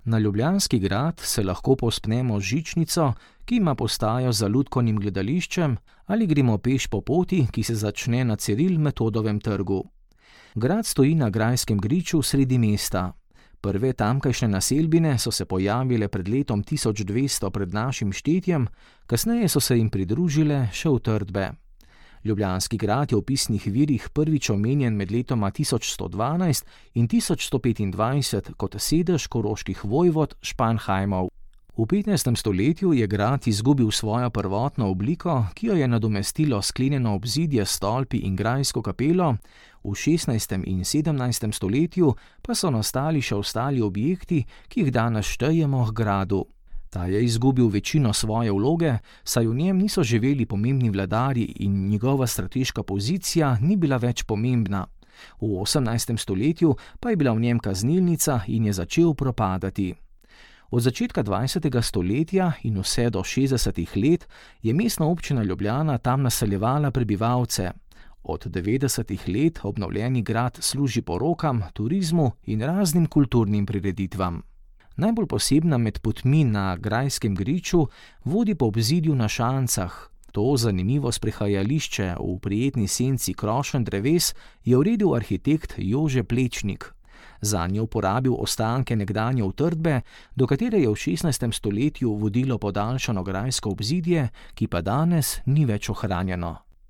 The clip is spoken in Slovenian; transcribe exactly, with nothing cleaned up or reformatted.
Na Ljubljanski grad se lahko povzpnemo z žičnico, ki ima postajo za lutkovnim gledališčem, ali gremo peš po poti, ki se začne na Ciril Metodovem trgu. Grad stoji na grajskem griču sredi mesta. Prve tamkajšnje naselbine so se pojavile pred letom tisoč dvesto pred našim štetjem, kasneje so se jim pridružile še utrdbe. Ljubljanski grad je v pisnih virih prvič omenjen med letoma tisoč sto dvanajst in tisoč sto petindvajset kot sedež koroških vojvod Španheimov. V petnajstem stoletju je grad izgubil svojo prvotno obliko, ki jo je nadomestilo sklenjeno obzidje s stolpi in grajsko kapelo, v šestnajstem in sedemnajstem stoletju pa so nastali še ostali objekti, ki jih danes štejemo h gradu. Ta je izgubil večino svoje vloge, saj v njem niso živeli pomembni vladarji in njegova strateška pozicija ni bila več pomembna. V osemnajstem stoletju pa je bila v njem kaznilnica in je začel propadati. Od začetka dvajsetega stoletja in vse do šestdesetih let je mestna občina Ljubljana tam naseljevala prebivalce. Od devetdesetih let obnovljeni grad služi porokam, turizmu in raznim kulturnim prireditvam. Najbolj posebna med potmi na grajskem griču vodi po obzidju na šancah. To zanimivo sprehajališče v prijetni senci krošenj dreves je uredil arhitekt Jože Plečnik. Zanj je uporabil ostanke nekdanje utrdbe, do katere je v šestnajstem stoletju vodilo podaljšano grajsko obzidje, ki pa danes ni več ohranjeno.